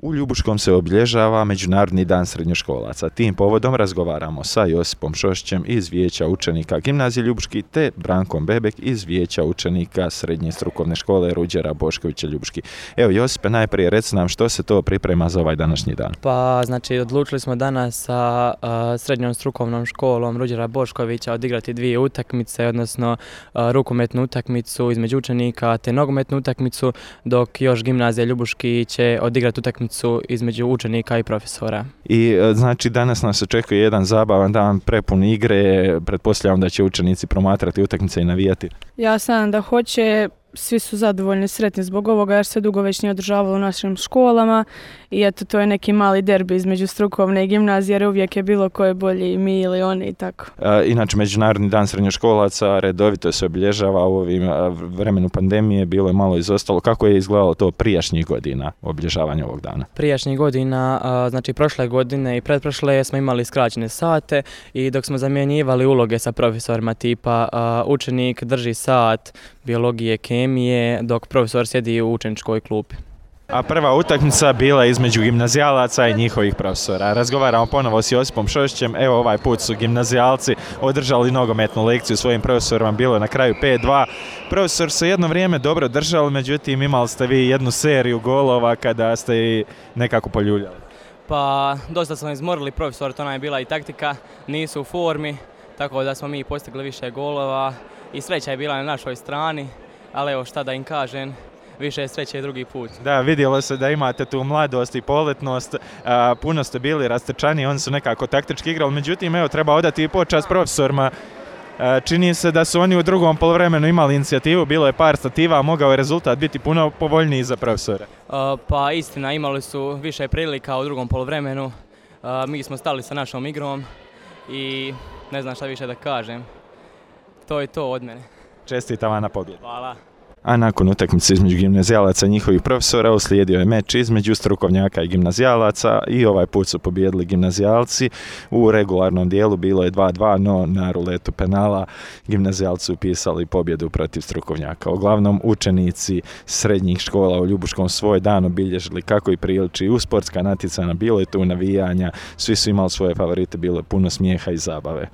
U Ljubuškom se obilježava Međunarodni dan srednjoškolaca. Tim povodom razgovaramo sa Josipom Šošćem iz Vijeća učenika Gimnazije Ljubuški te Brankom Bebek iz Vijeća učenika Srednje strukovne škole Ruđera Boškovića Ljubuški. Evo Josipe, najprije reci nam što se to priprema za ovaj današnji dan. Pa znači odlučili smo danas sa Srednjom strukovnom školom Ruđera Boškovića odigrati dvije utakmice, odnosno rukometnu utakmicu između učenika te nogometnu utakmicu, dok još Gimnazija Ljubuški će odigrati utakmicu između učenika i profesora. I znači danas nas očekuje jedan zabavan dan prepun igre, pretpostavljam da će učenici promatrati utakmice i navijati. Ja sam da hoće, svi su zadovoljni, sretni zbog ovoga jer se dugo već nije održavalo u našim školama i eto to je neki mali derbi između strukovne i gimnazije jer uvijek je bilo ko je bolji, mi ili oni i tako. Inače Međunarodni dan srednjoškolaca redovito se obilježava u ovim vremenu pandemije, bilo je malo izostalo. Kako je izgledalo to prijašnjih godina obilježavanje ovog dana? Prijašnjih godina, znači prošle godine i pretprošle smo imali skraćene sate i dok smo zamjenjivali uloge sa profesorima tipa učenik drži sat biologije, kemije, dok profesor sjedi u učeničkoj klupi. A prva utakmica bila između gimnazijalaca i njihovih profesora. Razgovaramo ponovo s Josipom Šošćem. Evo ovaj put su gimnazijalci održali nogometnu lekciju svojim profesorima, bilo je na kraju 5-2. Profesor se jedno vrijeme dobro držali, međutim imali ste vi jednu seriju golova kada ste i nekako poljuljali. Pa dosta smo izmorili profesor, to nam je bila i taktika, nisu u formi, tako da smo mi postigli više golova i sreća je bila na našoj strani, ali evo šta da im kažem, više sreće je drugi put. Da, vidjelo se da imate tu mladost i poletnost, puno ste bili rastrčani, oni su nekako taktički igrali, međutim evo treba odati i počast profesorima. Čini se da su oni u drugom poluvremenu imali inicijativu, bilo je par stativa, a mogao je rezultat biti puno povoljniji za profesora. Pa istina, imali su više prilika u drugom poluvremenu, mi smo stali sa našom igrom i ne znam šta više da kažem. To je to od mene. Čestitam vam na pobjedu. Hvala. A nakon utakmice između gimnazijalaca i njihovih profesora uslijedio je meč između strukovnjaka i gimnazijalaca i ovaj put su pobijedili gimnazijalci. U regularnom dijelu bilo je 2-2, no na ruletu penala gimnazijalci upisali pobjedu protiv strukovnjaka. Uglavnom učenici srednjih škola u Ljubuškom svoj dan obilježili kako i priliči u sportska natjecanja, bilo je tu navijanja, svi su imali svoje favorite, bilo je puno smijeha i zabave.